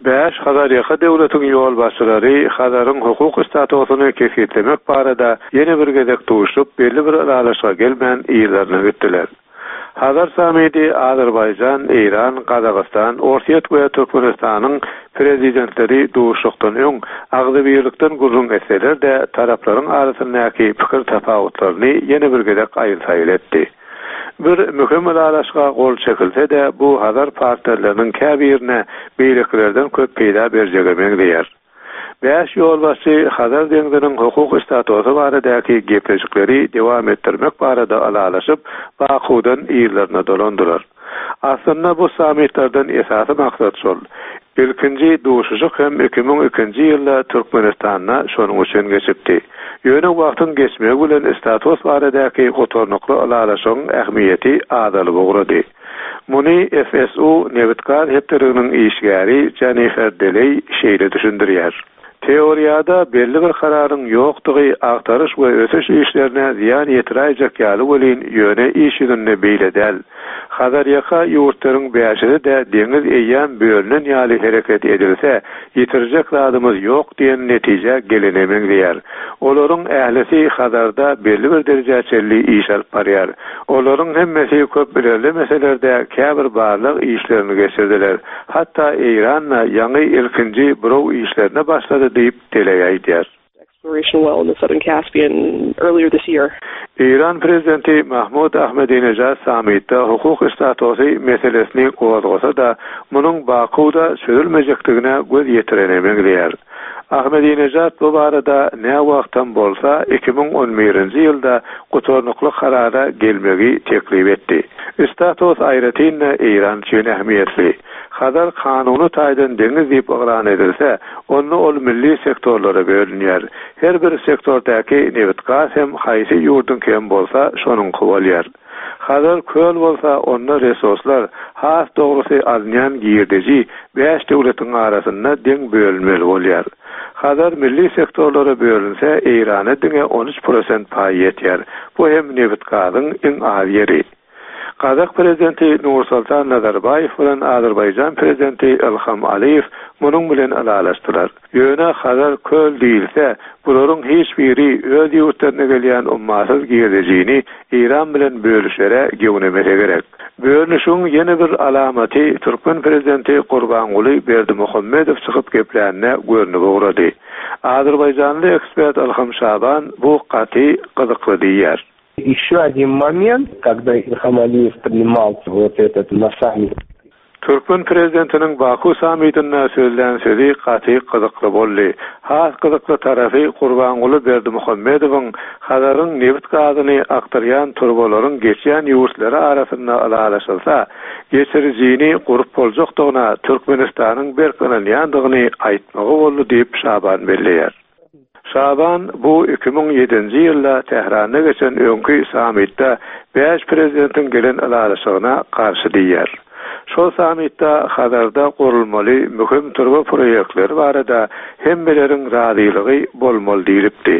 Bäş Hazarýaka döwletiň ýolbaşçylary Hazaryň hukuk statusyny kesgitlemek barada ýene bir gezek duşup, belli bir ylalaşyga gelmän yzlaryna gitdiler. Hazar sammiti Azerbaýjan, Eýran, Gazagystan, Orsýet we Türkmenistanyň Prezidentleri duşuşykdan öň agzybirlikden gürrüň etseler-de, taraplaryň arasyndaky pikir tapawutlaryny ýene bir gezek aýyl-saýyl etdi. Bir möhüm ylalaşyga gol çekilse-de, bu Hazar partnerleriniň käbirine beýlekilerden köp peýda berjege meňzeýär. Bäş ýolbaşçy Hazar deňziniň hukuk statusy baradaky gepleşikleri dowam etdirmek barada ylalaşyp, Bakuwdan yzlaryna dolandylar. Aslynda bu sammitlerden esasy maksat şol. Ilkinji duşuşyk hem 2002-nji ýylda Türkmenistanda şonuň üçin geçipdi. Ýöne wagtyň geçmegi bilen status baradaky gutarnykly ylalaşygyň ähmiýeti azalyp ugrady. Muny FSU nebit-gaz hepdeliginiň işgäri Jennifer Deleý şeýle düşündirýär. Teoriýada belli bir kararyň ýokdugy agtaryş we ösüş işlerine zyýan ýetiräýjek ýaly welin, ýöne iş ýüzünde beýle däl. Hazarýaka ýurtlaryň bäşisi-de deňiz eýýäm bölünen ýaly hereket edilse, ýitirjek zadymyz ýok diýen netijä gelene meňzeýär. Olaryň ählisi Hazarda belli bir derejä çenli iş alyp barýar. Olaryň hemmesi köp ilerlemeseler-de, käbir barlag işlerini geçirdiler. Hatda Eýran-da ýaňy ilkinji buraw işlerine başlady diýip, Deleý aýdýar. Eýran prezidenti Mahmud Ahmedinejad sammitde hukuk statusy meselesini gozgasa-da, munuň Bakuwda çözülmejekdigine göz ýetirene meňzeýär. Ahmedinejad bu barada näwagtam bolsa 2011-nji ýylda gutarnykly karara gelmegi teklip etdi. Status aýratyn-da Eýran üçin ähmiýetli. Hazar kanuny taýdan deňiz diýip yglan edilse, onda ol milli sektorlara bölünýär. Her bir sektordaky nebit-gaz hem haýsy ýurduňky hem bolsa, şonuňky bolýar. Hazar köl bolsa, onda resurslar, has dogrusy alynýan girdeji bäş döwletiň arasynda deň bölünmeli bolýar. Hazar milli sektorlara bölünse, Eýrana diňe 13 prosent paý ýetýär. Bu hem nebit-gazyň iň az ýeri. Gazak prezidenti Nursoltan Nazarbaýew bilen Azerbaýjan prezidenti Ilham Aliýew munuň bilen ylalaşdylar. Ýöne Hazar köl diýilse, bularyň hiç biri öz ýurtlaryna gelýän ummasyz girdejini Eýran bilen bölüşere gewnemese gerek. Bölünişigiň ýene bir alamaty türkmen prezidenti Gurbanguly Berdimuhamedow çykyp geplände görnüp ugrady. Azerbaýjanly ekspert Ylham Şaban bu gaty gyzykly diýýär. Еще один момент, когда Ильхам Алиев принимал вот этот на саммите. Türkmen prezidentiniň Baku sammitinde sözlän sözi gaty gyzykly boldy. Has gyzykly tarapy Gurbanguly Berdimuhamedowyň Hazaryň nebit-gazyny akdyrýan turbalaryň geçýän ýurtlary arasynda ylalaşylsa, geçirijini gurup boljakdygyna Türkmenistanyň berk ynanýandygyny aýtmagy boldy diýip, Şaban belleýär. Şaban bu 2007-nji ýylda Tähranda geçen öňki sammitde bäş prezidentiň gelen ylalaşygyna garşy diýýär. Şol sammitde Hazarda gurulmaly möhüm turba proýektleri barada hemmeleriň razylygy bolmaly diýlipdi.